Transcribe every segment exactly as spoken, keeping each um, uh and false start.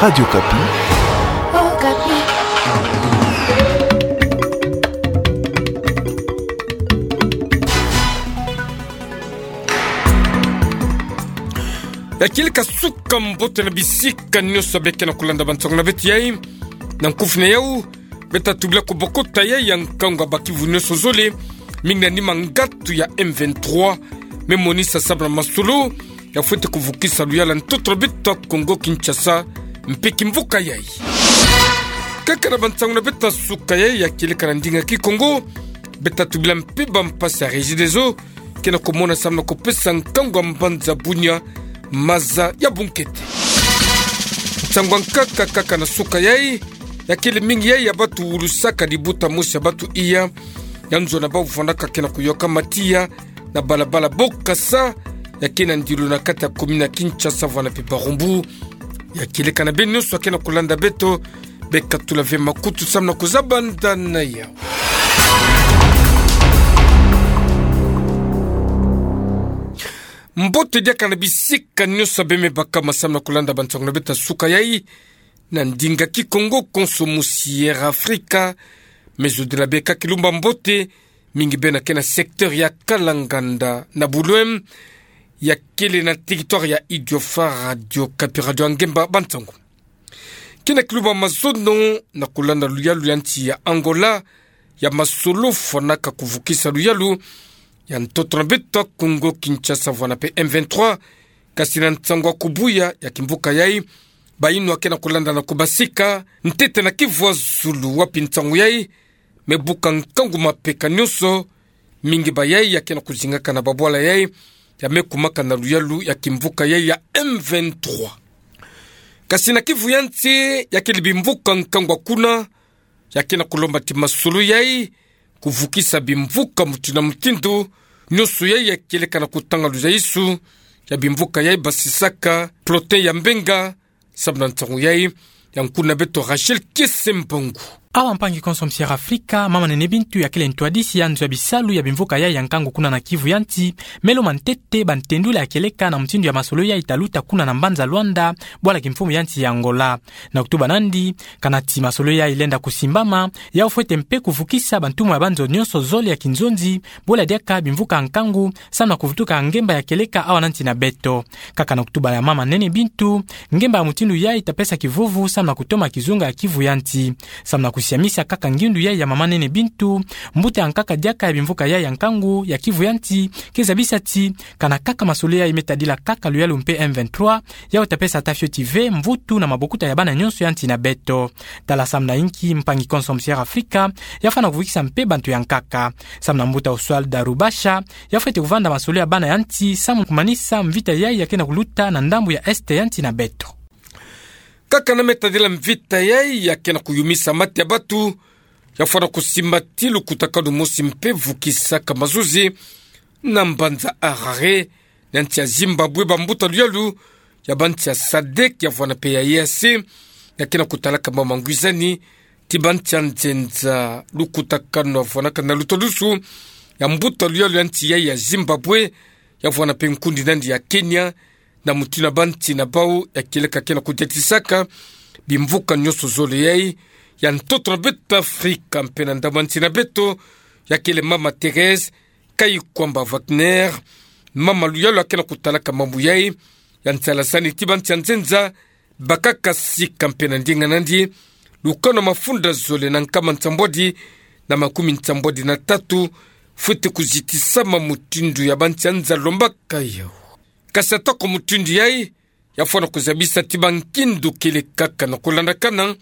Radio Okapi. Ya kieleka suka mbote na bisika nyonso beke na kulanda bansango na beto yai. Na nkufi na yau, beta tubila kubokota yai ya nkangu ya ba kivu nyonso zole, mingi na nima ngatu ya M vingt-trois, me monisa sababu na masolo ya fwete kuvukisa luyalu ya ntoto na beto ya Kongo Kinshasa, mpe kimvuka yai. Kaka na bansango na beto ya suka yai ya kieleka na ndinga Kikongo, beta tubila mpe bampasi ya Regideso ke na kumona sababu na kupesa nkangu ya mbanza Bunia maza ya bunkete. Nsangu ya nkaka kaka na suka yai, ya kele mingi yai ya batu wulusaka libuta mosi ya batu iya, ya nzo na bau vandaka ke na kuyoka matiya na balabala Bokassa, ya ke na ndilu na kati ya commune ya Kinshasa vwala mpe Barumbu. Ya kieleka na beno nyonso ya ke na kulanda beto, beka tula ve makutu sababu na kuzabanda na yau. Mbote diaka na bisika nyonso bemei baka masamu na kulanda bansango na beto ya suka yai, na ndinga Kikongo konso musiera Afrika, me zodila beka kilumba mbote, mingi bena ke na secteur ya Kalanganda na Boulogne, ya kele na territoire ya Idiofa, Radio Okapi, radio ya ngemba bansango. Ke na kilumba mazono na kulanda luyalu ya nsi ya Angola, ya masolo fwanaka kuvukisa luyalu ya ntoto na beto ya Kongo Kinshasa vwala mpe M vingt-trois, kasi na nsangu ya kubuya ya kimvuka yai, bayinwa ke na kulanda na kubasika ntete na kivu ya zulu wapi nsangu yai me buka nkangu mapeka nyonso, mingi ba yai ya ke na kuzingaka na babwala yai, ya me kumaka na luyalu ya kimvuka yai ya M vingt-trois. Kasi na kivu ya nsi ya kele bimvuka nkangu ya kuna, ya ke na kulomba ti masolo yai kuvukisa bimvuka mutindu na mutindu, nyonso yai ya kieleka na kutanga luzaisu ya bimvuka yai basisaka plotin ya mbenga, sababu na nsangu yai, ya nkuna beto Rachel Kiese Mbangu. Awa mpangi konso musiera Afrika, mama Nene Bintu ya kele ntwadisi ya nzo ya bisalu ya bimvuka yai ya nkangu kuna na kivu ya nsi, me lomba ntete bantendula ya kieleka na mutindu ya masolo yai ta luta kuna na mbanza Luanda, bwala kimfumu ya nsi ya Angola. Na kutuba nandi, kana ti masolo yai lenda kusimbama, yau fwete mpe kuvukisa bantumwa ya banzo nyonso zole ya kinzonzi, bwala diaka bimvuka nkangu, samu na kuvutuka ngemba ya kieleka awa na nsi na beto. Kaka na kutuba ya mama Nene Bintu, ngemba ya mutindu yai ta pesa kivuvu samu na kutoma kizunga ya kivu ya nsi. Samu na kusiamisa kaka ngiundu yai ya mama Nene Bintu, mbuta ya nkaka diaka ya bimvuka yai ya nkangu ya kivu ya nsi ke zabisa ti, kana kaka masolo yai me tadila kaka luyalu mpe M vingt-trois, yau ta pesa ata fioti ve mvutu na mabokuta ya bana nyonso ya nsi na beto. Tala samu na inki mpangi konso musiera Afrika ya fwana kuvukisa mpe bantu ya nkaka. Samu na mbuta Oswald Rubasha, ya fwete kuvanda masolo ya bana ya nsi samu kumanisa mvita yai ya ke na kuluta na ndambu ya est ya nsi na beto. Kaka na me tadila mvita yai ya ke na kuyumisa mate ya batu, ya fwana kusimba ti lukutakanu mosi mpe vukisaka mazuzi na mbanza Harare, na nsi ya Zimbabwe, bambuta luyalu ya bansi ya sadek ya vwana mpe ya EAC, ya ke na kutalaka mama ngwizani ti bansi ya nzenza lukutakanu ya vwanaka na lutadusu ya mbuta luyalu ya nsi yai ya Zimbabwe, ya vwana mpe nkundi nandi ya Kenya, na mutindu na bansi na bau ya kieleka ke na kudiatisaka bimvuka nyonso zole yai ya ntoto na beto Afrika mpe na ndambu ya nsi na beto, ya kele mama Thérèse Kayikwamba Wagner, mama luyalu ya ke na kutalaka mambu yai, ya nsalasani ti bansi ya nzenza bakaka sika mpe na ndinga nandi, lukanu ya mafunda zole na nkama nsambwadi na makumi nsambwadi na tatu, fwete kuzitisama mutindu ya bansi ya nza lombaka yau. Kasi atako mutindu yai, ya fwana kuzabisa ti bankindu kele kaka na kulandakana,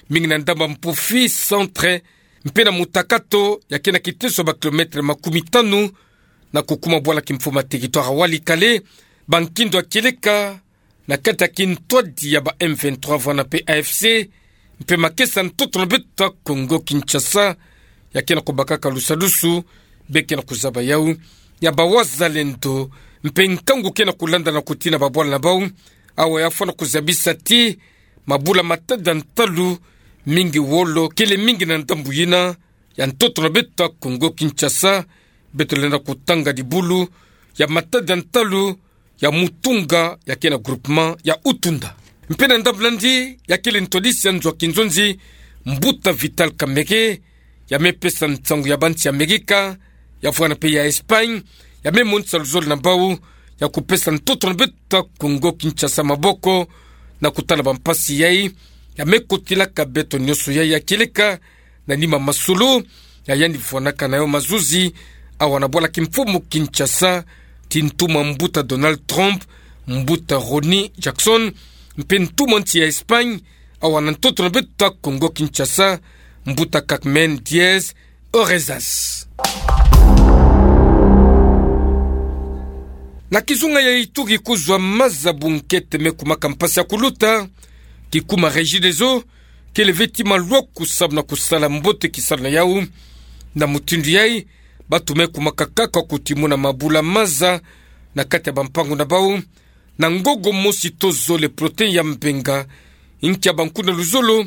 mingi na ndambu ya Mpufi, centre, mpe na Mutakato, ya ke na kiteso ya ba kilomètre makumi tanu na kukuma bwala kimfumu ya territoire ya Walikale, bankindu ya kieleka na kati ya kintwadi ya ba M vingt-trois vwana mpe A F C, mpe makesa ntoto na beto ya Kongo Kinshasa, ya ke na kubakaka lusadusu, beke na kuzaba yau ya ba wazalendo, mpe nkangu ke na kulanda na kutina babwala na bau. Awa ya fwana kuzabisa ti mabula matada ntalu, mingi wolo kele mingi na ndambu yina ya ntoto na beto ya Kongo Kinshasa, beto lenda kutanga dibulu ya matada ntalu ya Mutunga ya ke na groupement ya Utunda. Mpe na ndambu nandi, ya kele ntwadisi ya nzo a kinzonzi, Mbuta Vital Kamerhe, ya me pesa nsangu ya bansi ya Amerika, ya vwani mpe ya Espagne, ya me monisa luzolo na bau, ya kupesa ntoto na beto a Kongo Kinshasa maboko, na kutala bampasi yai, ya me kotilaka beto nionso yai ya kieleka, na nima masolo, ya yandi vwanaka na yo mazuzi, awa na bwala kimfumu Kinshasa, ti ntumwa Mbuta Donald Trump, Mbuta Ronny Jackson, mpe ntumwa nsi ya Espagne, awa na ntoto na beto a Kongo Kinshasa, Mbuta Carmen Diaz Orezas. Na kizunga ya Ituri, kozwa maza bunkete me kumaka mpasi ya kuluta, kikuma Regideso, kele ve ti maluaku samu na kusala mbote kisalu na yau. Na mutindu yai, bantu me kumaka kaka kutimuna mabula maza na kati ya bampangu na bau, na ngogo mosi to zole protéine ya mbenga. Inkia bankuna luzolo,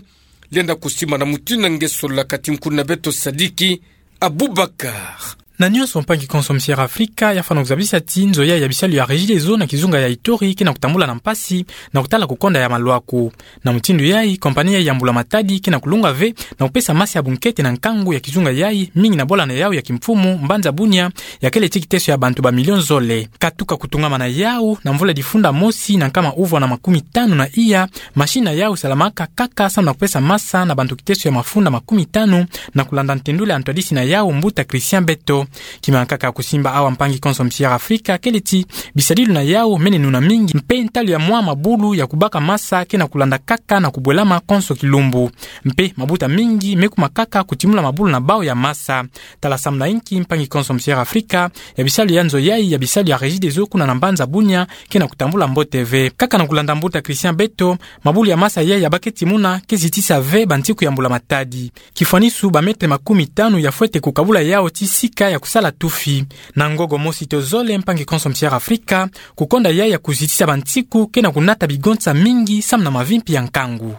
lenda kusimba na mutindu na nge solola kati nkuna beto Sadiki Abubakar. Na nionso, mpangi konso Musière Afrika, ya fwana kuzabisa ti nzo yai ya bisalu ya Regideso na kizunga ya Ituri ke na kutambula na mpasi, na kutala kukonda ya maluaku. Na mutindu yai, compagnie yai ya mbula-matadi ke na kulunga ve na kupesa masi ya bunkete na nkangu ya kizunga yai, mingi na bwala na yau ya kimfumu, mbanza Bunia, ya kele ti kiteso ya bantu ba million zole. Katuka kutungama na yau, na mvula difunda mosi na nkama uvwa na makumi tanu na iya, machine na yau salamaka kaka samu na kupesa masa na bantu kiteso ya mafunda makumi tanu, na kulanda ntendula ya ntwadisi na yau, Mbuta Christian Beto. Kimana kaka kusimba awa, mpangi konso Musière Afrika, kele ti bisadilu na yau mene nuna mingi, mpe ntalu ya mwa mabulu ya kubaka masa ke na kulanda kaka na kubwelama konso kilumbu. Mpe mabuta mingi me kuma kaka kutimula mabulu na bau ya masa. Tala samu na inki, mpangi konso Musière Afrika, ya bisalu ya nzo yai ya bisalu ya Regideso kuna na mbanza Bunia ke na kutambula mbote ve. Kaka na kulanda Mbuta Christian Beto, mabulu ya masa yai ya ba ke timuna ke zitisa ve bantiku ya mbula-matadi. Kifwanisu, ba mètre makumi tanu ya fwete kukabula yau ti sika ya kusala tufi. Na ngogo mosi to zole, mpangi konso Musière Afrika, kukonda yai ya kuzitisa bantiku ke na kunata bigonsa mingi samu na mavimpi ya nkangu.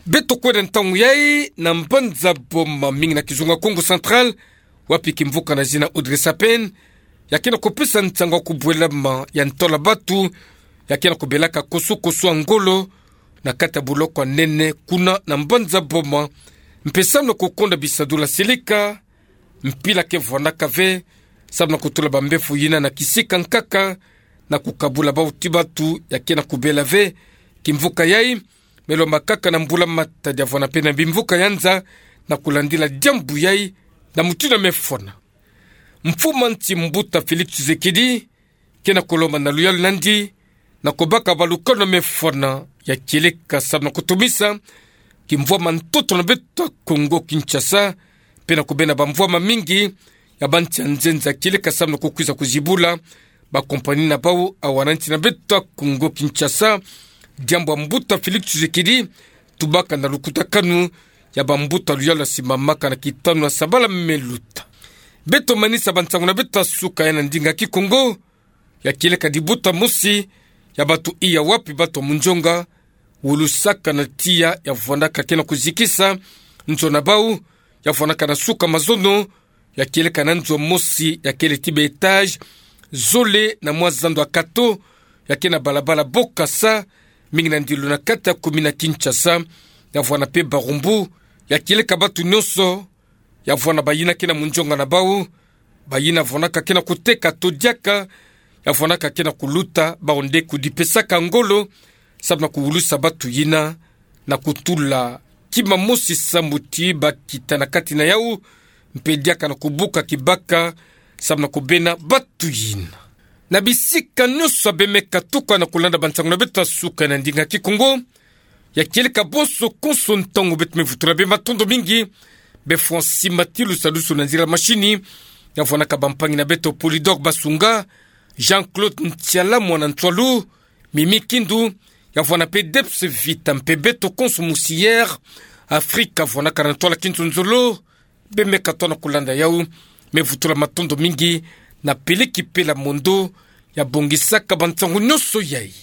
Beto kwenda ntangu yai na mbanza Boma, mingi na kizunga Kongo Central, wapi kimvuka na zina Audrey Sapin, ya ke na kupesa nsangu ya kubwelama ya ntola bantu, ya ke na kubelaka koso-koso ya ngolo, na kati ya boloko ya nene kuna na mbanza Boma, mpe samu na kukonda bisadula seleka, mpila ke vwanaka ve, samu na kutula bambevo yina na kisika nkaka, na kukabula bau ti bantu ya ke na kubela ve kimvuka yai, me lomba kaka na mbula-matadi ya vwana mpe na bimvuka ya nza, na kulandila diambu yai na mutindu ya me fwana. Mfumu a nsi Mbuta Félix Tshisekedi, ke na kulomba na luyalu nandi, na kubaka balukanu ya me fwana ya kieleka samu na kutumisa kimvwama ntoto na beto a Kongo Kinshasa, mpe na kubena bamvwama mingi ya bansi ya nzenza ya kieleka samu na kukwiza kuzibula bakompani na bau awa na nsi na beto a Kongo Kinshasa. Diambu ya Mbuta Félix Tshisekedi tubaka na lukutakanu ya bambuta luyalu ya simamaka na kitanu ya sabala me luta. Beto manisa bansangu na beto ya suka ya na ndinga Kikongo, ya kieleka dibuta mosi ya bantu iya wapi bantu ya munzonga wulusaka na tiya ya vwanaka ke na kuzikisa nzo na bau, ya vwanaka na suka mazono, ya kieleka na nzo mosi ya kele ti ba étage zole na mwa zando ya kato, ya ke na balabala Bokassa, mingi na ndilu na kati ya commune ya Kinshasa, ya vwana mpe Barumbu, ya kieleka bantu nionso, ya vwana bayina ke na munzonga na bau, bayina vwanaka ke na kuteka to diaka, ya vwanaka ke na kuluta, bau nde kudipesaka ngolo, samu na kuwulusa bantu yina, na kutula kima mosi sambu ti bakita na kati na yau, mpe diaka na kubuka kibaka, samu na kubena bantu yina. Na bisika nionso ya bemeka tuka na kulanda bansangu na beto ya suka na ndinga Kikongo, ya kieleka bonso konso ntangu, beto me vutula be matondo mingi be Francis Matilu, salusu na nzila mashini, ya vwanaka bampangi na beto Polydor Basunga, Jean-Claude Ntiala, mwana Ntwalu, Mimi Kindu, ya vwana mpe Debs Vita, mpe beto konso Musière Afrika vwanaka na ntwala kinzonzolo, bemeka tona kulanda yau, me vutula matondo mingi na Peleki Pela Mondo, ya bongisaka bansangu nionso yai.